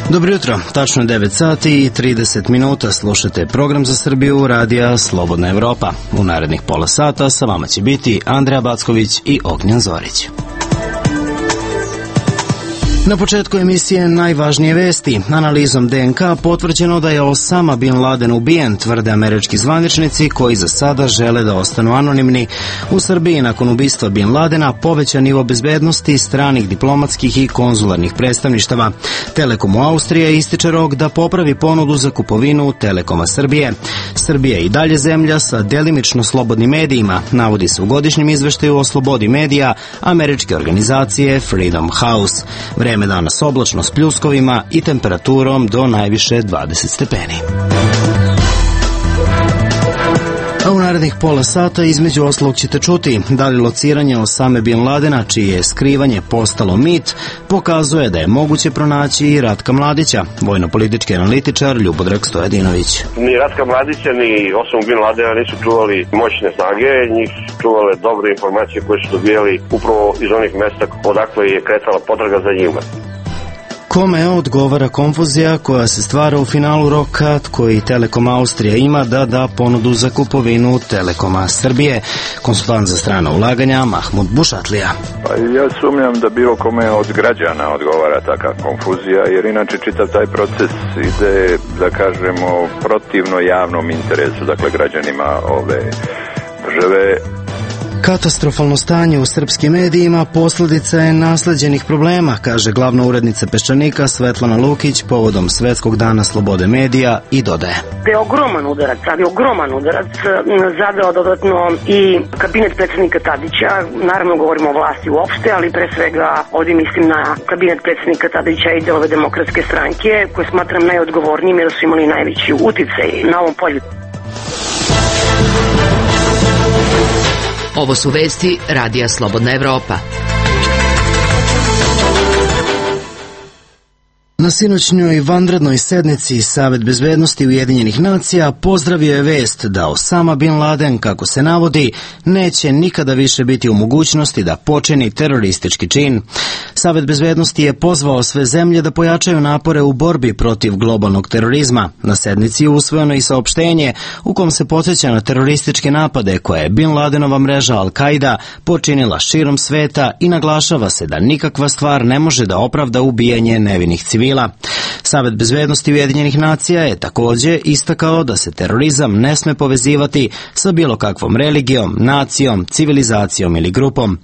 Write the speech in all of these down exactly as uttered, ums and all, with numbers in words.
Dobro jutro, tačno devet sati i trideset minuta, slušate program za Srbiju radija Slobodna Evropa. U narednih pola sata sa vama će biti Andreja Backović i Ognjen Zorić. Na početku emisije najvažnije vesti. Analizom de en ka potvrđeno da je Osama bin Laden ubijen, tvrde američki zvaničnici koji za sada žele da ostanu anonimni. U Srbiji nakon ubistva bin Ladena povećan nivo bezbednosti stranih diplomatskih i konzularnih predstavništava. Telekom u Austriji ističe rok da popravi ponudu za kupovinu Telekoma Srbije. Srbija je i dalje zemlja sa delimično slobodnim medijima, navodi se u godišnjem izveštaju o slobodi medija američke organizacije Freedom House. Vreme danas oblačno s pljuskovima i temperaturom do najviše dvadeset stepeni. A u narednih pola sata između ostalog ćete čuti da li lociranje Osame bin Ladena, čije je skrivanje postalo mit, pokazuje da je moguće pronaći i Ratka Mladića, vojno-politički analitičar Ljubodrag Stojadinović. Ni Ratka Mladića ni Osamu bin Ladena nisu čuvali moćne snage, njih su čuvale dobre informacije koje su dobijali upravo iz onih mesta odakle je kretala potraga za njima. Kome odgovara konfuzija koja se stvara u finalu roka koji Telekom Austrija ima da da ponudu za kupovinu Telekoma Srbije? Konsultant za strana ulaganja Mahmud Bušatlija. Pa ja sumnjam da bilo kome od građana odgovara taka konfuzija, jer inače čitav taj proces ide, da kažemo, protivno javnom interesu, dakle građanima ove države. Katastrofalno stanje u srpskim medijima posljedica je nasleđenih problema, kaže glavna urednica Peščanika Svetlana Lukić povodom Svetskog dana slobode medija i dodaje. Da je ogroman udarac, ali ogroman udarac zadao dodatno i kabinet predsjednika Tadića, naravno govorimo o vlasti uopšte, ali pre svega ovdje mislim na kabinet predsjednika Tadića i delove Demokratske stranke, koje smatram najodgovornijim jer su imali najveći uticaj na ovom polju. Ovo su vesti radija Slobodna Evropa. Na sinoćnjoj vanrednoj sednici Savet bezbednosti Ujedinjenih nacija pozdravio je vest da Osama bin Laden, kako se navodi, neće nikada više biti u mogućnosti da počini teroristički čin. Savet bezbednosti je pozvao sve zemlje da pojačaju napore u borbi protiv globalnog terorizma. Na sednici je usvojeno i saopštenje u kom se podsjeća na terorističke napade koje je bin Ladenova mreža Al-Qaida počinila širom sveta i naglašava se da nikakva stvar ne može da opravda ubijanje nevinih civila. Savet bezbednosti Ujedinjenih nacija je također istakao da se terorizam ne sme povezivati sa bilo kakvom religijom, nacijom, civilizacijom ili grupom.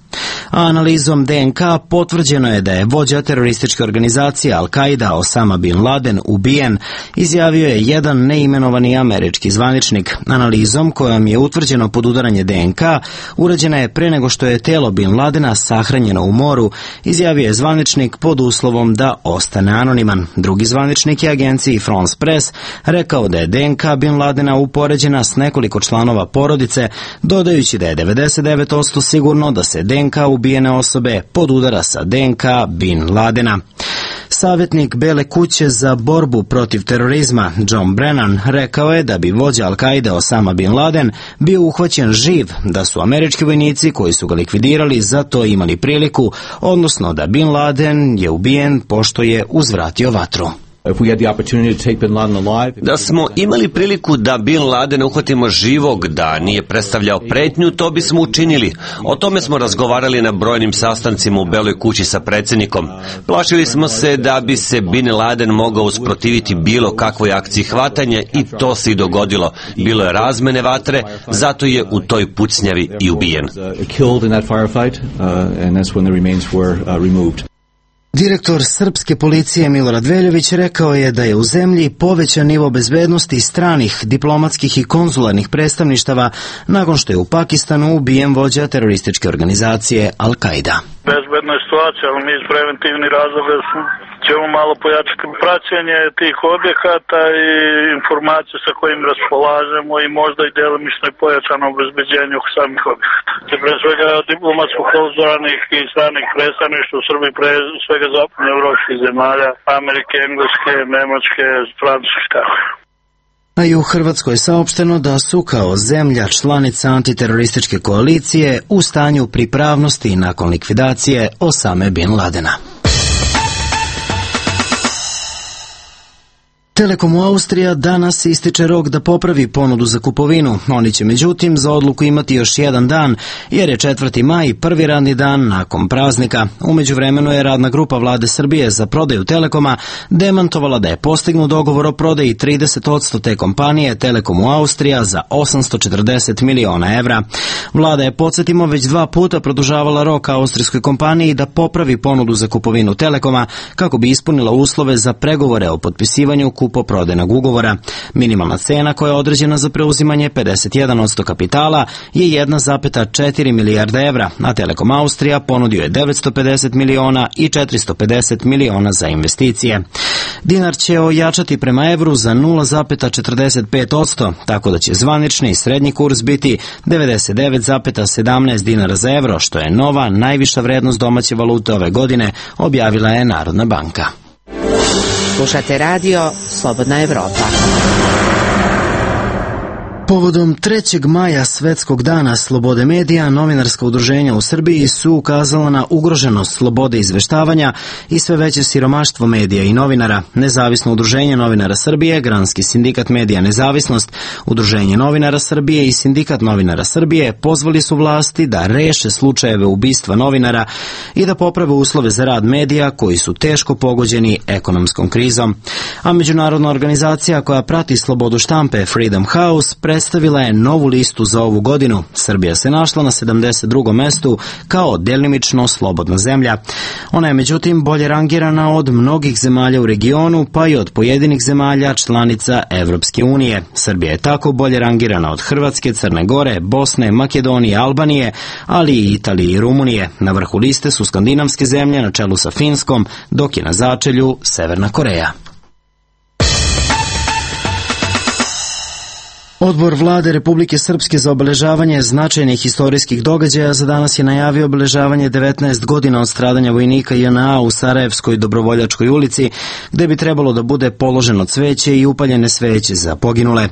A analizom de en ka potvrđeno je da je vođa terorističke organizacije Al-Qaida Osama bin Laden ubijen, izjavio je jedan neimenovani američki zvaničnik. Analizom kojom je utvrđeno podudaranje de en ka urađena je pre nego što je telo bin Ladena sahranjeno u moru, izjavio je zvaničnik pod uslovom da ostane anoniman. Drugi zvaničnik je agenciji France Press rekao da je de en ka bin Ladena upoređena s nekoliko članova porodice, dodajući da je devedeset devet posto sigurno da se de en ka ubijene osobe podudara sa de en ka bin Ladena. Savjetnik Bele kuće za borbu protiv terorizma John Brennan rekao je da bi vođa Al-Qaide Osama bin Laden bio uhvaćen živ, da su američki vojnici koji su ga likvidirali za to imali priliku, odnosno da bin Laden je ubijen pošto je uzvratio vatru. Da smo imali priliku da bin Ladena uhvatimo živog, da nije predstavljao pretnju, to bismo učinili. O tome smo razgovarali na brojnim sastancima u Beloj kući sa predsjednikom. Plašili smo se da bi se bin Laden mogao usprotiviti bilo kakvoj akciji hvatanja i to se i dogodilo. Bilo je razmene vatre, zato je u toj pucnjavi i ubijen. Direktor srpske policije Milorad Veljović rekao je da je u zemlji povećan nivo bezbednosti stranih diplomatskih i konzularnih predstavništava nakon što je u Pakistanu ubijen vođa terorističke organizacije Al-Qaida. Bezbedna je situacija, ali mi iz preventivnih razloga ćemo malo pojačati praćenje tih objekata i informacije sa kojim raspolažemo i možda i delimično i pojačano obezbeđenje samih objekata. Pre svega diplomatsko-konzularnih i stranih predstavništva u Srbiji, pre svega zapadno evropskih zemalja, Amerike, Engleske, Nemačke, Francuske, tako. A i u Hrvatskoj je saopšteno da su kao zemlja članica antiterorističke koalicije u stanju pripravnosti nakon likvidacije Osame bin Ladena. Telekomu Austrija danas ističe rok da popravi ponudu za kupovinu. Oni će međutim za odluku imati još jedan dan, jer je četvrti maj prvi radni dan nakon praznika. U međuvremenu je radna grupa Vlade Srbije za prodaju Telekoma demantovala da je postignut dogovor o prodaji trideset posto te kompanije Telekomu Austrija za osamsto četrdeset miliona evra. Vlada je, podsjetimo, već dva puta produžavala rok austrijskoj kompaniji da popravi ponudu za kupovinu Telekoma kako bi ispunila uslove za pregovore o potpisivanju kupoprodajnog ugovora. Minimalna cena koja je određena za preuzimanje pedeset jedan posto kapitala je jedna zarez četiri milijarde evra, a Telekom Austrija ponudio je devetsto pedeset miliona i četiristo pedeset miliona za investicije. Dinar će ojačati prema evru za nula zarez četrdeset pet posto, tako da će zvanični i srednji kurs biti devedeset devet zarez sedamnaest dinara za evro, što je nova najviša vrednost domaće valute ove godine, objavila je Narodna banka. Slušate radio Slobodna Evropa. Povodom trećeg maja Svetskog dana slobode medija, novinarska udruženja u Srbiji su ukazala na ugroženost slobode izveštavanja i sve veće siromaštvo medija i novinara. Nezavisno udruženje novinara Srbije, Granski sindikat medija Nezavisnost, Udruženje novinara Srbije i Sindikat novinara Srbije pozvali su vlasti da reše slučajeve ubistva novinara i da poprave uslove za rad medija koji su teško pogođeni ekonomskom krizom. A međunarodna organizacija koja prati slobodu štampe Freedom House predstavila je novu listu za ovu godinu. Srbija se našla na sedamdeset drugom mestu kao delimično slobodna zemlja. Ona je međutim bolje rangirana od mnogih zemalja u regionu, pa i od pojedinih zemalja članica Evropske unije. Srbija je tako bolje rangirana od Hrvatske, Crne Gore, Bosne, Makedonije, Albanije, ali i Italije i Rumunije. Na vrhu liste su skandinavske zemlje na čelu sa Finskom, dok je na začelju Severna Koreja. Odbor Vlade Republike Srpske za obeležavanje značajnih istorijskih događaja za danas je najavio obeležavanje devetnaest godina od stradanja vojnika J N A u Sarajevskoj Dobrovoljačkoj ulici, gde bi trebalo da bude položeno cveće i upaljene sveće za poginule.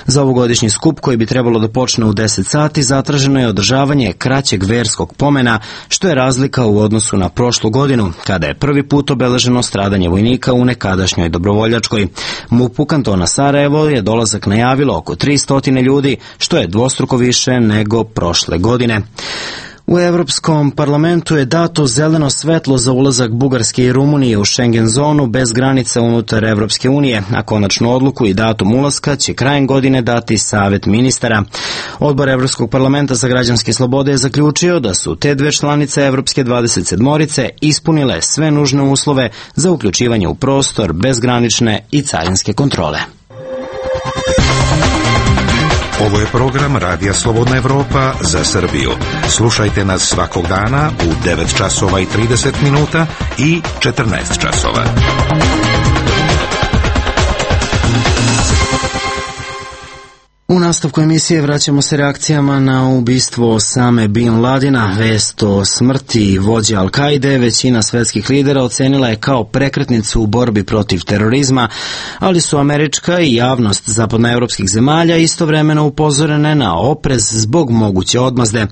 Za ovogodišnji skup, koji bi trebalo da počne u deset sati, zatraženo je održavanje kraćeg verskog pomena, što je razlika u odnosu na prošlu godinu, kada je prvi put obeleženo stradanje vojnika u nekadašnjoj Dobrovoljačkoj. MUP-u kantona Sarajevo je dolazak najavilo oko tristo ljudi, što je dvostruko više nego prošle godine. U Evropskom parlamentu je dato zeleno svetlo za ulazak Bugarske i Rumunije u Schengen zonu bez granica unutar Evropske unije, a konačnu odluku i datum ulaska će krajem godine dati Savet ministara. Odbor Evropskog parlamenta za građanske slobode je zaključio da su te dve članice Evropske dvadeset sedmorice ispunile sve nužne uslove za uključivanje u prostor bezgranične i carinske kontrole. Ovo je program Radija Slobodna Evropa za Srbiju. Slušajte nas svakog dana u devet časova i trideset minuta i četrnaest časova. U nastavku emisije vraćamo se reakcijama na ubistvo Osame Bin Ladena. Vest o smrti vođe Al-Kaide većina svetskih lidera ocenila je kao prekretnicu u borbi protiv terorizma, ali su američka i javnost zapadnoevropskih zemalja istovremeno upozorene na oprez zbog moguće odmazde.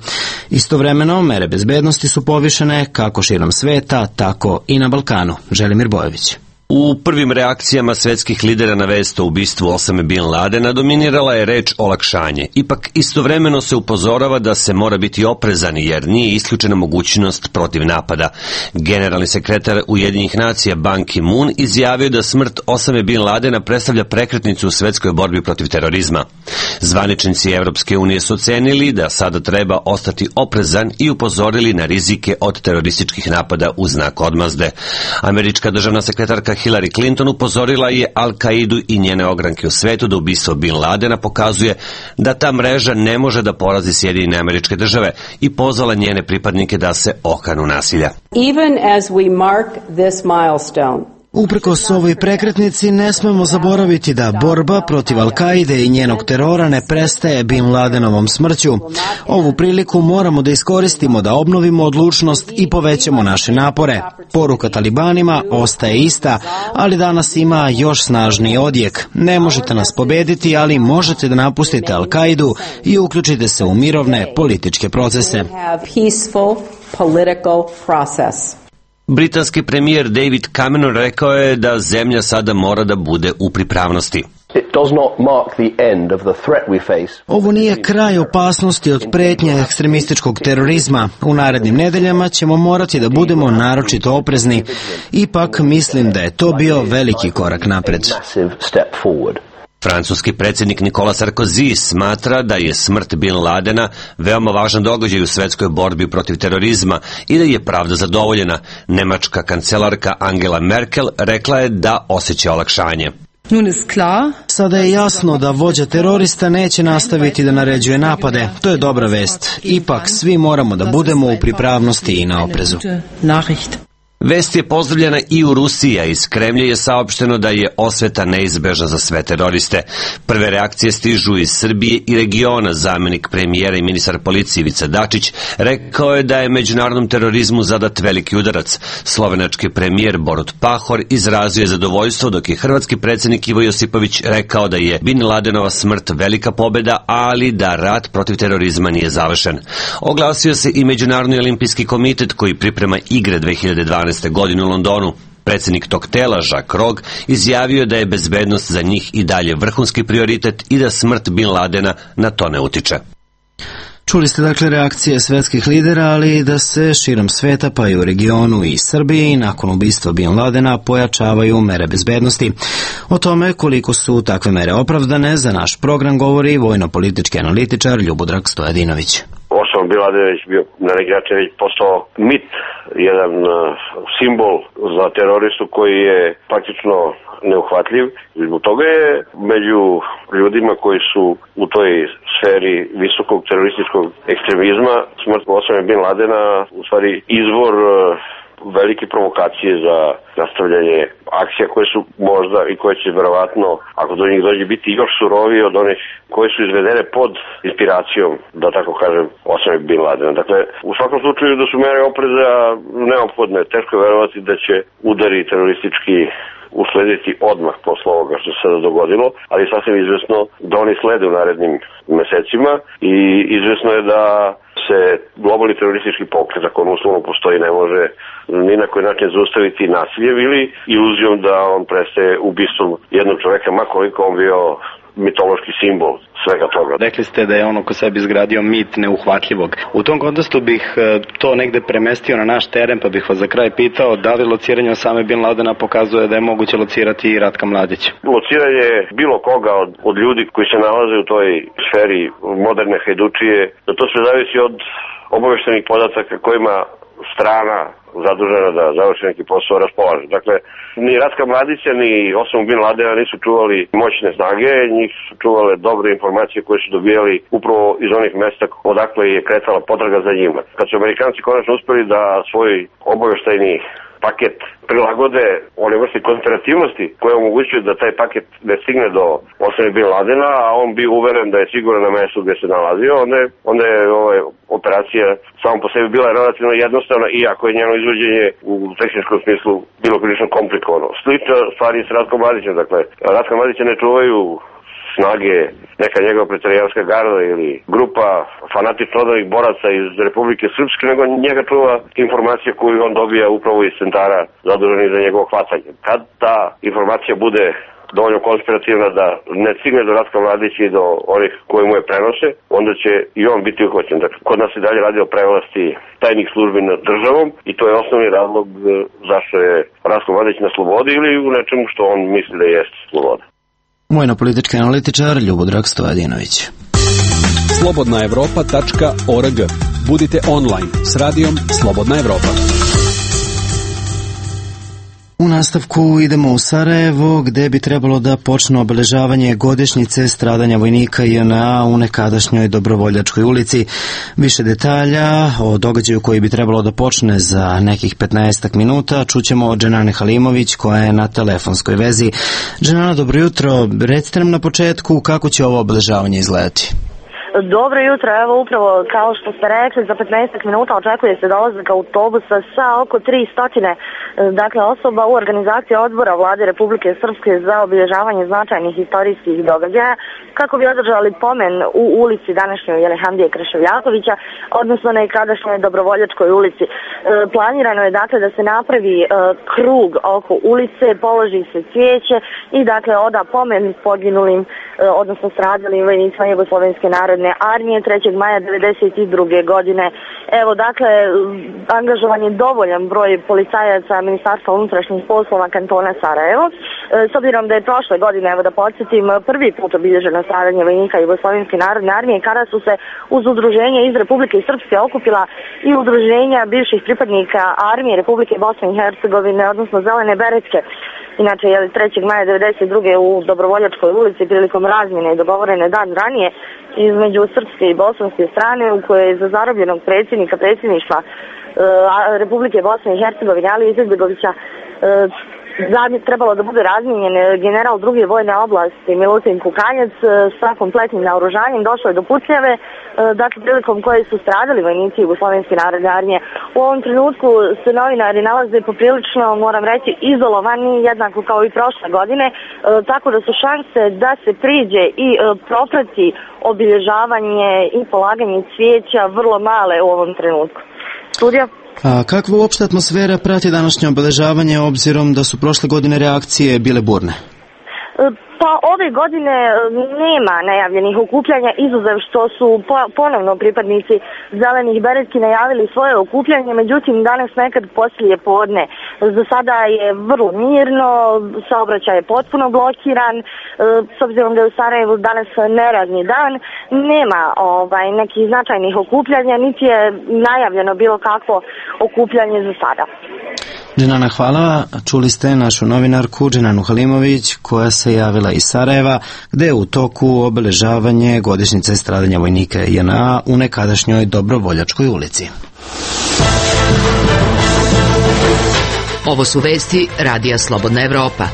Istovremeno, mere bezbednosti su povišene kako širom sveta, tako i na Balkanu. Želimir Bojević. U prvim reakcijama svetskih lidera na vest o ubistvu Osame Bin Ladena dominirala je reč olakšanje. Ipak istovremeno se upozorava da se mora biti oprezan jer nije isključena mogućnost protiv napada. Generalni sekretar Ujedinjenih nacija Ban Ki-moon izjavio da smrt Osame Bin Ladena predstavlja prekretnicu u svetskoj borbi protiv terorizma. Zvaničnici Evropske unije su ocenili da sada treba ostati oprezan i upozorili na rizike od terorističkih napada u znak odmazde. Američka državna sekretarka Hillary Clinton upozorila je Al-Kaidu i njene ogranke u svetu da ubistvo Bin Ladena pokazuje da ta mreža ne može da porazi Sjedinjene Američke Države i pozvala njene pripadnike da se okanu nasilja. Even as we mark this milestone, uprkos ovoj prekretnici ne smemo zaboraviti da borba protiv Al-Kaide i njenog terora ne prestaje Bin Ladenovom smrću. Ovu priliku moramo da iskoristimo da obnovimo odlučnost i povećamo naše napore. Poruka talibanima ostaje ista, ali danas ima još snažniji odjek. Ne možete nas pobediti, ali možete da napustite Al-Kaidu i uključite se u mirovne političke procese. Britanski premijer David Cameron rekao je da zemlja sada mora da bude u pripravnosti. Ovo nije kraj opasnosti od pretnje ekstremističkog terorizma. U narednim nedeljama ćemo morati da budemo naročito oprezni. Ipak mislim da je to bio veliki korak napred. Francuski predsjednik Nicolas Sarkozy smatra da je smrt Bin Ladena veoma važan događaj u svetskoj borbi protiv terorizma i da je pravda zadovoljena. Nemačka kancelarka Angela Merkel rekla je da osjeća olakšanje. Sada je jasno da vođa terorista neće nastaviti da naređuje napade. To je dobra vest. Ipak svi moramo da budemo u pripravnosti i na oprezu. Vest je pozdravljena i u Rusiji, a iz Kremlja je saopšteno da je osveta neizbežna za sve teroriste. Prve reakcije stižu iz Srbije i regiona. Zamenik premijera i ministar policije Ivica Dačić rekao je da je međunarodnom terorizmu zadat veliki udarac. Slovenački premijer Borut Pahor izrazio je zadovoljstvo, dok je hrvatski predsjednik Ivo Josipović rekao da je Bin Ladenova smrt velika pobjeda, ali da rat protiv terorizma nije završen. Oglasio se i Međunarodni olimpijski komitet koji priprema igre dve hiljade dvanaeste godine u Londonu. Predsjednik tog tela, Jacques Rogge, izjavio da je bezbednost za njih i dalje vrhunski prioritet i da smrt Bin Ladena na to ne utiče. Čuli ste dakle reakcije svetskih lidera, ali da se širom sveta, pa i u regionu i Srbiji, nakon ubistva Bin Ladena pojačavaju mere bezbednosti. O tome koliko su takve mere opravdane za naš program govori vojno-politički analitičar Ljubodrag Stojadinović. Osama Bin Laden je bio na neki način već postao mit, jedan simbol za teroristu koji je praktično neuhvatljiv. Zbog toga je među ljudima koji su u toj sferi visokog terorističkog ekstremizma smrt Osame Bin Ladena u stvari izvor velike provokacije za nastavljanje akcija koje su možda i koje će verovatno, ako do njih dođe, biti još surovije od onih koje su izvedene pod inspiracijom, da tako kažem, Osame Bin Ladena. Dakle, u svakom slučaju da su mere opreza neophodne. Teško je verovati da će udari teroristički uslediti odmah posle ovoga što se sada dogodilo, ali sasvim izvesno da oni slede u narednim mesecima i izvesno je da se globalni teroristički pokret, ako on uslovno postoji, ne može ni na koji način zaustaviti nasiljem ili iluzijom da on prestaje ubistvom jednog čoveka, ma koliko on bio mitološki simbol svega toga. Rekli ste da je on oko sebi izgradio mit neuhvatljivog. U tom kontekstu bih to negde premestio na naš teren, pa bih vas za kraj pitao da li lociranje Osame Bin Ladena pokazuje da je moguće locirati i Ratka Mladića? Lociranje bilo koga od, od ljudi koji se nalaze u toj sferi moderne hajdučije, da to sve zavisi od obaveštenih podataka kojima strana zadužena da završi neki posao raspolaže. Dakle, ni Ratka Mladića ni Osamu Bin Ladena nisu čuvali moćne snage, njih su čuvale dobre informacije koje su dobijali upravo iz onih mesta odakle je kretala potraga za njima. Kad su Amerikanci konačno uspeli da svoj obaveštajni paket prilagode one vrste konspirativnosti koje omogućuju da taj paket ne stigne do Osame Bin Ladena, a on bi uveren da je siguran na mestu gdje se nalazio, onda je, onda je ovaj, operacija samo po sebi bila relativno jednostavna, iako je njeno izvođenje u tehničkom smislu bilo prilično komplikovano. Slična stvar je s Ratkom Mladićem, dakle, Ratka Mladića ne čuvaju snage, neka njegova pretorijanska garda ili grupa fanatično odanih boraca iz Republike Srpske, nego njega čuva informacija koju on dobija upravo iz centara zaduženih za njegovo hvatanje. Kad ta informacija bude dovoljno konspirativna da ne stigne do Ratka Mladića i do onih koji mu je prenose, onda će i on biti uhvaćen. Dakle, kod nas se dalje radi o prevlasti tajnih službi nad državom i to je osnovni razlog zašto je Ratko Mladić na slobodi ili u nečemu što on misli da jeste sloboda. Vojno-politički analitičar Ljubodrag Stojadinović. slobodna evropa tačka org. Budite online s radijom Slobodna Evropa. U nastavku idemo u Sarajevo, gde bi trebalo da počne obeležavanje godišnjice stradanja vojnika J N A u nekadašnjoj Dobrovoljačkoj ulici. Više detalja o događaju koji bi trebalo da počne za nekih petnaestak minuta čućemo od Dženane Halimović koja je na telefonskoj vezi. Dženana, dobro jutro. Recite nam na početku kako će ovo obeležavanje izgledati. Dobro jutro, evo upravo kao što ste rekli, za petnaest minuta očekuje se dolazak autobusa sa oko tri stotine dakle, osoba u organizaciji odbora Vlade Republike Srpske za obilježavanje značajnih istorijskih događaja kako bi održali pomen u ulici današnjoj Jelehandije Krševljakovića, odnosno nekadašnjoj Dobrovoljačkoj ulici. E, planirano je dakle da se napravi e, krug oko ulice, položi se cvijeće i dakle oda pomen poginulim, e, odnosno stradalim vojnicima Jugoslovenske narodne armije trećeg maja devedeset druge godine. Evo dakle, angažovan je dovoljan broj policajaca Ministarstva unutrašnjih poslova kantona Sarajevo. E, s obzirom da je prošle godine, evo da podsjetim, prvi put obilježeno stradanje vojnika Jugoslovenske narodne armije kada su se uz udruženje iz Republike Srpske okupila i udruženja bivših pripadnika armije Republike Bosne i Hercegovine, odnosno Zelene beretke. Inače, je trećeg maja devedeset druge u Dobrovoljačkoj ulici prilikom razmjene dogovorene dan ranije između srpske i bosanske strane u kojoj je za zarobljenog predsjednika predsjedništva e, Republike Bosne i Hercegovine Ali Izetbegovića e, trebalo da bude razmijenjen general druge vojne oblasti Milutin Kukanjac sa kompletnim naoružanjem. Došlo je do pucnjave, dakle prilikom koje su stradali vojnici Jugoslovenske narodne armije. U ovom trenutku se novinari nalaze poprilično, moram reći, izolovani, jednako kao i prošle godine, tako da su šanse da se priđe i proprati obilježavanje i polaganje cvijeća vrlo male u ovom trenutku. Studija? A kakva uopšte atmosfera prati današnje obeležavanje obzirom da su prošle godine reakcije bile burne? Pa ove godine nema najavljenih okupljanja, izuzev što su ponovno pripadnici Zelenih beretki najavili svoje okupljanje, međutim danas nekad poslije podne. Za sada je vrlo mirno, saobraćaj je potpuno blokiran, s obzirom da je u Sarajevu danas neradni dan, nema ovaj, nekih značajnih okupljanja, niti je najavljeno bilo kakvo okupljanje za sada. Dženana, hvala. Čuli ste našu novinarku Dženanu Halimović koja se javila iz Sarajeva gde je u toku obeležavanje godišnjice stradanja vojnika J N A u nekadašnjoj Dobrovoljačkoj ulici. Ovo su vesti Radija Slobodna Evropa.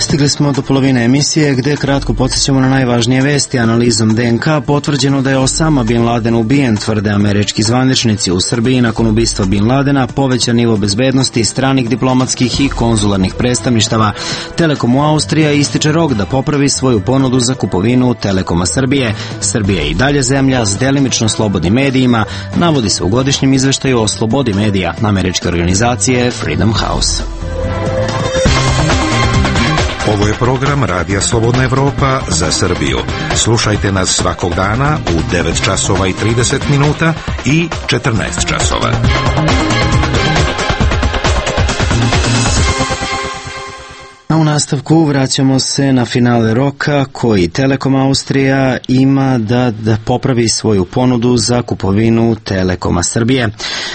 Stigli smo do polovine emisije gde kratko podsjećamo na najvažnije vesti. Analizom D N K potvrđeno da je Osama Bin Laden ubijen, tvrde američki zvaničnici. U Srbiji nakon ubistva Bin Ladena povećan nivo bezbednosti stranih diplomatskih i konzularnih predstavništava. Telekom u Austrija ističe rok da popravi svoju ponudu za kupovinu Telekoma Srbije. Srbija je i dalje zemlja s delimično slobodnim medijima, navodi se u godišnjem izveštaju o slobodi medija američke organizacije Freedom House. Ovo je program Radija Slobodna Evropa za Srbiju. Slušajte nas svakog dana u devet časova i trideset minuta i četrnaest časova. A u nastavku vraćamo se na finale roka koji Telekom Austrija ima da, da popravi svoju ponudu za kupovinu Telekoma Srbije.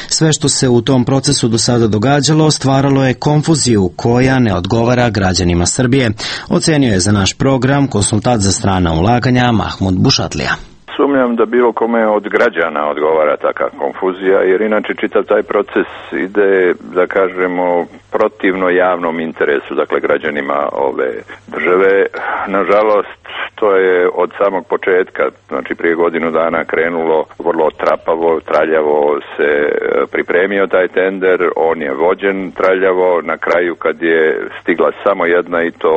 Sve što se u tom procesu do sada događalo stvaralo je konfuziju koja ne odgovara građanima Srbije. Ocenio je za naš program konsultant za strana ulaganja Mahmud Bušatlija. Sumnjam da bilo kome od građana odgovara takva konfuzija, jer inače čitav taj proces ide, da kažemo, protivno javnom interesu, dakle građanima ove države. Nažalost, to je od samog početka, znači prije godinu dana krenulo vrlo trapavo, traljavo se pripremio taj tender, on je vođen traljavo, na kraju kad je stigla samo jedna i to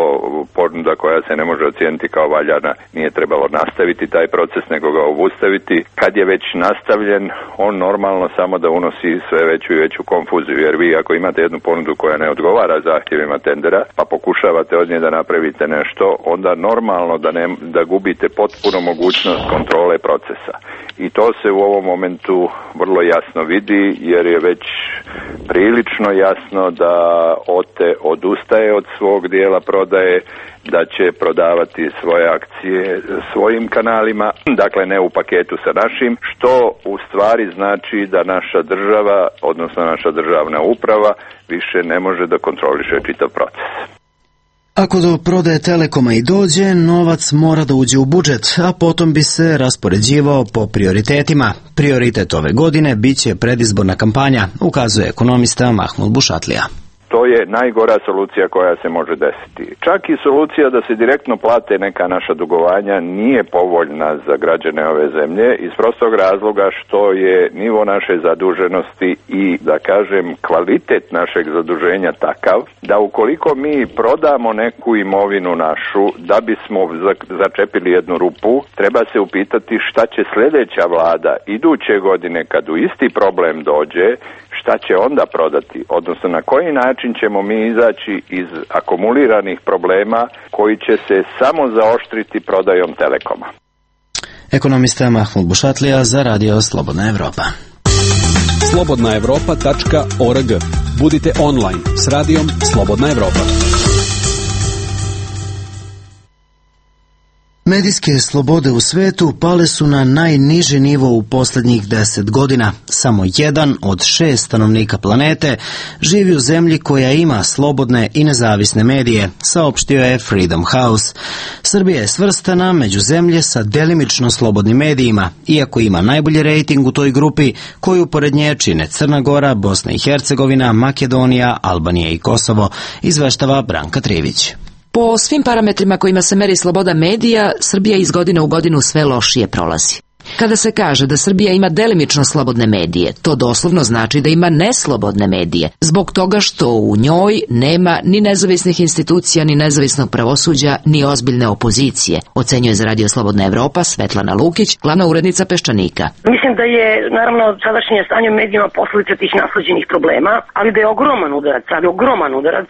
ponuda koja se ne može ocijeniti kao valjana, nije trebalo nastaviti taj proces, nego ga obustaviti. Kad je već nastavljen, on normalno samo da unosi sve veću i veću konfuziju, jer vi ako imate jednu ponudu koja ne odgovara zahtjevima tendera, pa pokušavate od nje da napravite nešto, onda normalno da, ne, da gubite potpuno mogućnost kontrole procesa. I to se u ovom momentu vrlo jasno vidi, jer je već prilično jasno da O T E odustaje od svog dijela prodaje, da će prodavati svoje akcije svojim kanalima, dakle ne u paketu sa našim, što u stvari znači da naša država, odnosno naša državna uprava, više ne može da kontroliše čitav proces. Ako do prodaje Telekoma i dođe, novac mora da uđe u budžet, a potom bi se raspoređivao po prioritetima. Prioritet ove godine biće predizborna kampanja, ukazuje ekonomista Mahmud Bušatlija. to je najgora solucija koja se može desiti. Čak i solucija da se direktno plate neka naša dugovanja nije povoljna za građane ove zemlje iz prostog razloga što je nivo naše zaduženosti i, da kažem, kvalitet našeg zaduženja takav da ukoliko mi prodamo neku imovinu našu da bismo začepili jednu rupu, treba se upitati šta će sljedeća vlada iduće godine kad u isti problem dođe, šta će onda prodati, odnosno na koji način ćemo mi izaći iz akumuliranih problema koji će se samo zaoštriti prodajom Telekoma. Ekonomista Mahmud Bušatlija za Radio Slobodna Evropa. slobodna evropa tačka org. Budite online s radijom Slobodna Evropa. Medijske slobode u svetu pale su na najniži nivo u posljednjih deset godina. Samo jedan od šest stanovnika planete živi u zemlji koja ima slobodne i nezavisne medije, saopštio je Freedom House. Srbija je svrstana među zemlje sa delimično slobodnim medijima, iako ima najbolji rejting u toj grupi koju pored nje čine Crna Gora, Bosna i Hercegovina, Makedonija, Albanija i Kosovo, izveštava Branka Trivić. Po svim parametrima kojima se meri sloboda medija, Srbija iz godine u godinu sve lošije prolazi. Kada se kaže da Srbija ima delimično slobodne medije, to doslovno znači da ima neslobodne medije, zbog toga što u njoj nema ni nezavisnih institucija, ni nezavisnog pravosuđa, ni ozbiljne opozicije, ocenjuje za Radio Slobodna Evropa Svetlana Lukić, glavna urednica Peščanika. Mislim da je, naravno, sadašnje stanje u medijima posljedica tih nasleđenih problema, ali da je ogroman udarac, ali ogroman udarac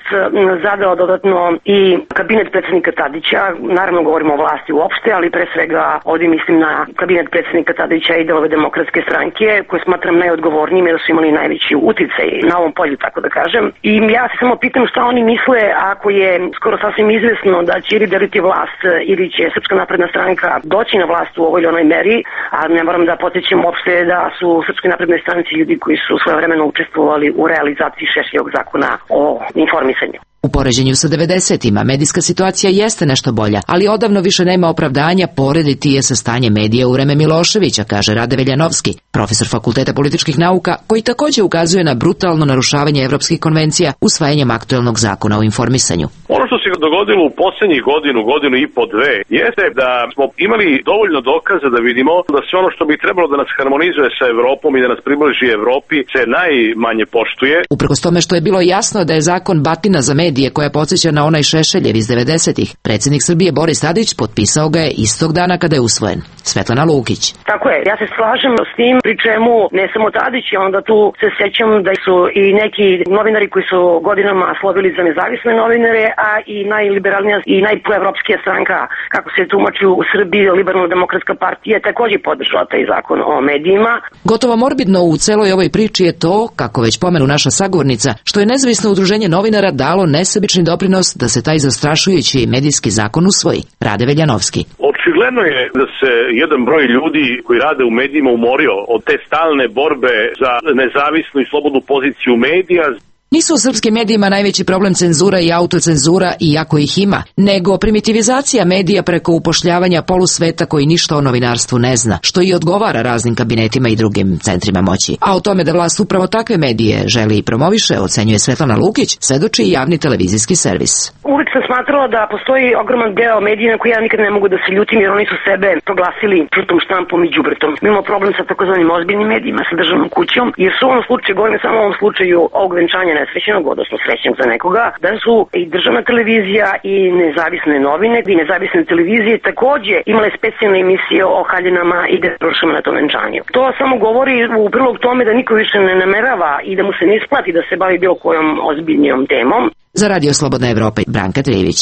zadao dodatno i kabinet predsjednika Tadića, naravno govorimo o vlasti uopšte, ali pre svega ovdje mislim na kabinet predsjednika Tadića i delove Demokratske stranke, koje smatram najodgovornijim jer su imali najveći uticaj na ovom polju, tako da kažem. I ja se samo pitam šta oni misle ako je skoro sasvim izvesno da će ili deliti vlast ili će Srpska napredna stranka doći na vlast u ovoj ili onoj meri, a ne moram da podsjećam uopšte da su u Srpskoj naprednoj stranci ljudi koji su svojevremeno učestvovali u realizaciji Šešeljevog zakona o informisanju. U poređenju sa devedesetima medijska situacija jeste nešto bolja, ali odavno više nema opravdanja porediti je sa stanjem medija u vreme Miloševića, kaže Rade Veljanovski, profesor Fakulteta političkih nauka, koji također ukazuje na brutalno narušavanje evropskih konvencija usvajanjem aktuelnog zakona o informisanju. Ono što se dogodilo u posljednjih godinu, godinu i po dve, jeste da smo imali dovoljno dokaza da vidimo da sve ono što bi trebalo da nas harmonizuje sa Evropom i da nas približi Evropi se najmanje poštuje. Uprkos tome što je bilo jasno da je zakon batina za medije koja podsjeća na onaj Šešeljev iz devedesetih, predsjednik Srbije Boris Tadić potpisao ga je istog dana kada je usvojen. Svetlana Lukić. Tako je, ja se slažem s tim, pri čemu ne samo Tadić, onda tu se sećam da su i neki novinari koji su godinama slovili za nezavisne novinare, a i najliberalnija i najproevropskija stranka, kako se tumači u Srbiji, Liberalno-demokratska partija, također podržala taj zakon o medijima. Gotovo morbidno u celoj ovoj priči je to, kako već pomenu naša sagovornica, što je nezavisno udruženje novinara dalo nesebični doprinos da se taj zastrašujući medijski zakon usvoji. Rade Veljanovski. Očigledno je da se jedan broj ljudi koji rade u medijima umorio od te stalne borbe za nezavisnu i slobodnu poziciju medija. Nisu u srpskim medijima najveći problem cenzura i autocenzura, iako ih ima, nego primitivizacija medija preko upošljavanja polusveta koji ništa o novinarstvu ne zna, što i odgovara raznim kabinetima i drugim centrima moći. A o tome da vlast upravo takve medije želi i promoviše, ocenjuje Svetlana Lukić, svedoči i javni televizijski servis. Uvijek sam smatrala da postoji ogroman deo medija na koji ja nikad ne mogu da se ljutim, jer oni su sebe proglasili žutom štampom i đubretom. Mi imamo problem sa takozvanim ozbiljnim medijima, sa državnom kućom, jer su u ovom slučaju, govorim samo u ovom slučaju ovog venčanja nesrećenog, odnosno srećnog za nekoga, da su i državna televizija i nezavisne novine i nezavisne televizije također imale specijalne emisije o haljinama i deprošama na tom venčanju. To samo govori u prilog tome da niko više ne namerava i da mu se ne isplati da se bavi bilo kojom ozbiljnijom temom. Za Radio Slobodna Evropa, Branka Trivić.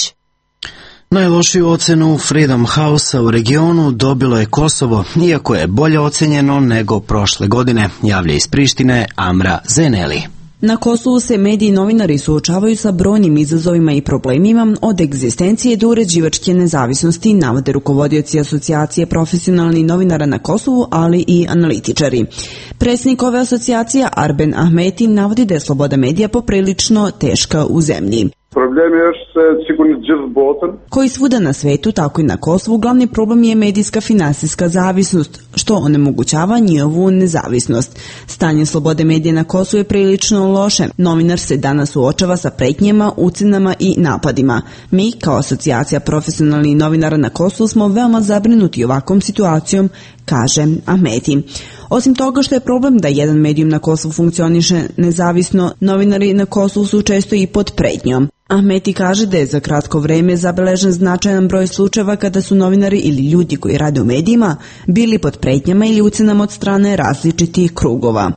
Najlošiju ocenu Freedom House-a u regionu dobilo je Kosovo, iako je bolje ocenjeno nego prošle godine, javlja iz Prištine Amra Zeneli. Na Kosovu se mediji i novinari suočavaju sa brojnim izazovima i problemima, od egzistencije do uređivačke nezavisnosti, navode rukovodioci asocijacije profesionalnih novinara na Kosovu, ali i analitičari. Predsjednik ove asocijacije, Arben Ahmeti, navodi da je sloboda medija poprilično teška u zemlji. Koji svuda na svetu, tako i na Kosovu, glavni problem je medijska finansijska zavisnost, što onemogućava njihovu nezavisnost. Stanje slobode medija na Kosovu je prilično loše. Novinar se danas suočava sa pretnjama, ucenama i napadima. Mi, kao asocijacija profesionalnih novinara na Kosovu, smo veoma zabrinuti ovakvom situacijom, kaže Ahmeti. Osim toga što je problem da jedan medijum na Kosovu funkcioniše nezavisno, novinari na Kosovu su često i pod pretnjom. Ahmeti kaže da je za kratko vreme zabeležen značajan broj slučajeva kada su novinari ili ljudi koji rade u medijima bili pod pretnjama ili ucenama od strane različitih krugova.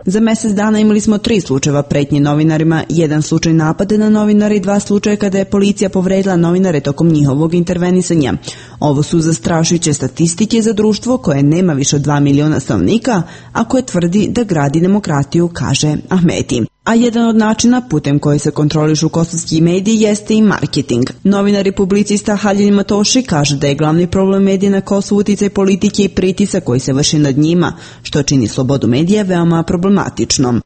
Za mjesec dana imali smo tri slučajeva pretnje novinarima, jedan slučaj napada na novinare i dva slučaja kada je policija povredila novinare tokom njihovog intervenisanja. Ovo su zastrašujuće statistike za društvo koje nema više od dva miliona stanovnika, a koje tvrdi da gradi demokratiju, kaže Ahmeti. A jedan od načina putem koji se kontrolišu kosovski mediji jeste i marketing. Novinar i publicista Halil Matoši kaže da je glavni problem medija na Kosovu uticaj politike i pritisak koji se vrši nad njima, što čini slobodu medija veoma problematičnom.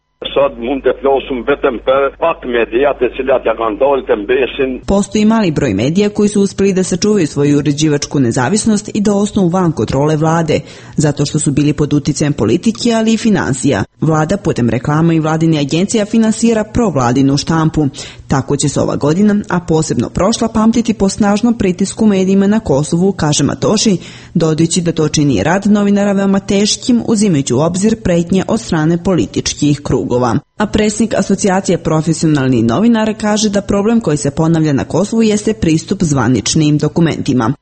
Postoji mali broj medija koji su uspjeli da sačuvaju svoju uređivačku nezavisnost i da ostanu van kontrole vlade, zato što su bili pod uticajem politike, ali i finansija. Vlada putem reklama i vladine agencija finansira provladinu štampu. Tako će se ova godina, a posebno prošla, pamtiti po snažnom pritisku medijima na Kosovu, kaže Matoši, dodajući da to čini rad novinara veoma teškim, uzimajući u obzir pretnje od strane političkih krugova. A predsjednik asocijacije profesionalnih novinara kaže da problem koji se ponavlja na Kosovu jeste pristup zvaničnim dokumentima.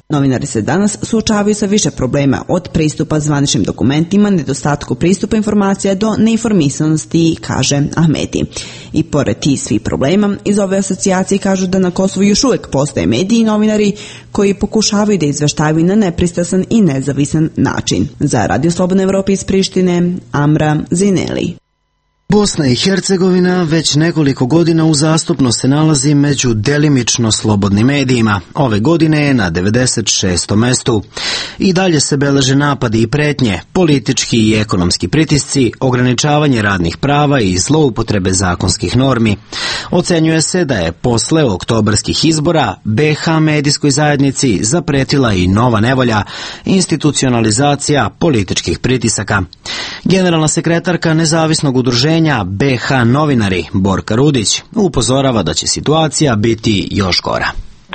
Novinari se danas suočavaju sa više problema, od pristupa zvaničnim dokumentima, nedostatku pristupa informacija do neinformisanosti, kaže Ahmeti. I pored tih svih problema, iz ove asocijacije kažu da na Kosovu još uvijek postoje mediji i novinari koji pokušavaju da izveštavaju na nepristrasan i nezavisan način. Za Radio Slobodna Evropa iz Prištine, Amra Zineli. Bosna i Hercegovina već nekoliko godina uzastopno se nalazi među delimično slobodnim medijima. Ove godine je na devedeset šestom mestu. I dalje se beleže napadi i pretnje, politički i ekonomski pritisci, ograničavanje radnih prava i zloupotrebe zakonskih normi. Ocenjuje se da je posle oktobarskih izbora be ha medijskoj zajednici zapretila i nova nevolja, institucionalizacija političkih pritisaka. Generalna sekretarka nezavisnog udruženja be ha novinari Borka Rudić upozorava da će situacija biti još gora.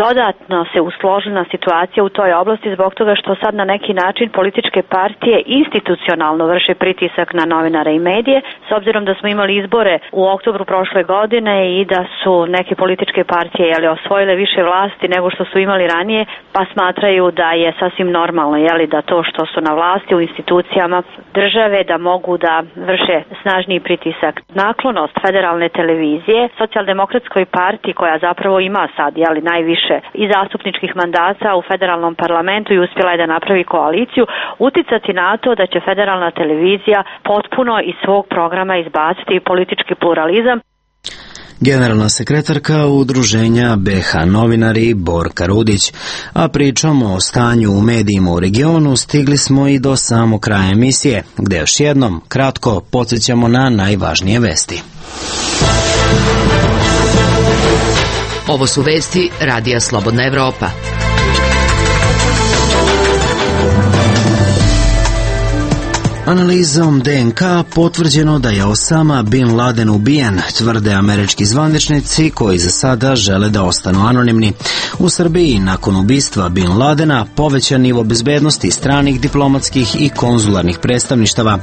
Dodatno se usložila situacija u toj oblasti zbog toga što sad na neki način političke partije institucionalno vrše pritisak na novinare i medije, s obzirom da smo imali izbore u oktobru prošle godine i da su neke političke partije jeli, osvojile više vlasti nego što su imali ranije, pa smatraju da je sasvim normalno jeli, da to što su na vlasti u institucijama države da mogu da vrše snažniji pritisak. Naklonost federalne televizije Socijaldemokratskoj partiji koja zapravo ima sad jeli, najviše i zastupničkih mandata u federalnom parlamentu i uspjela je da napravi koaliciju, uticati na to da će federalna televizija potpuno iz svog programa izbaciti politički pluralizam. Generalna sekretarka udruženja be ha novinari Borka Rudić. A pričom o stanju u medijima u regionu stigli smo i do samog kraja emisije, gde još jednom kratko podsjećamo na najvažnije vesti. Ovo su vesti Radija Slobodna Evropa. Analizom de en ka potvrđeno da je Osama Bin Laden ubijen, tvrde američki zvaničnici koji za sada žele da ostanu anonimni. U Srbiji nakon ubistva Bin Ladena povećan nivo bezbednosti stranih diplomatskih i konzularnih predstavništava.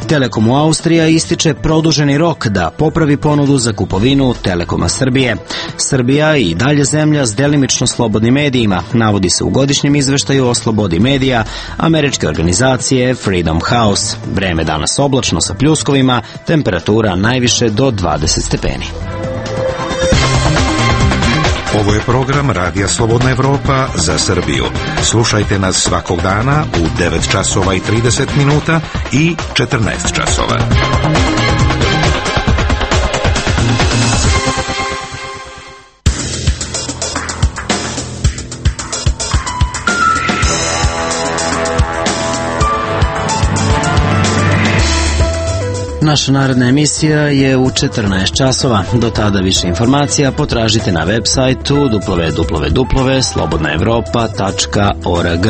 Telekom u Austrija ističe produženi rok da popravi ponudu za kupovinu Telekoma Srbije. Srbija i dalje zemlja s delimično slobodnim medijima, navodi se u godišnjem izveštaju o slobodi medija američke organizacije Freedom House. Vreme danas oblačno sa pljuskovima, temperatura najviše do dvadeset stepeni. Ovo je program Radija Slobodna Evropa za Srbiju. Slušajte nas svakog dana u devet časova i trideset minuta i četrnaest časova. Naša naredna emisija je u četrnaest časova. Do tada više informacija potražite na web sajtu w w w tačka slobodna evropa tačka org.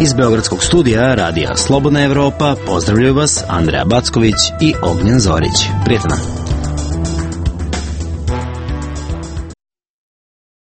Iz Beogradskog studija Radija Slobodna Evropa pozdravljaju vas Andreja Backović i Ognjen Zorić. Prijetno!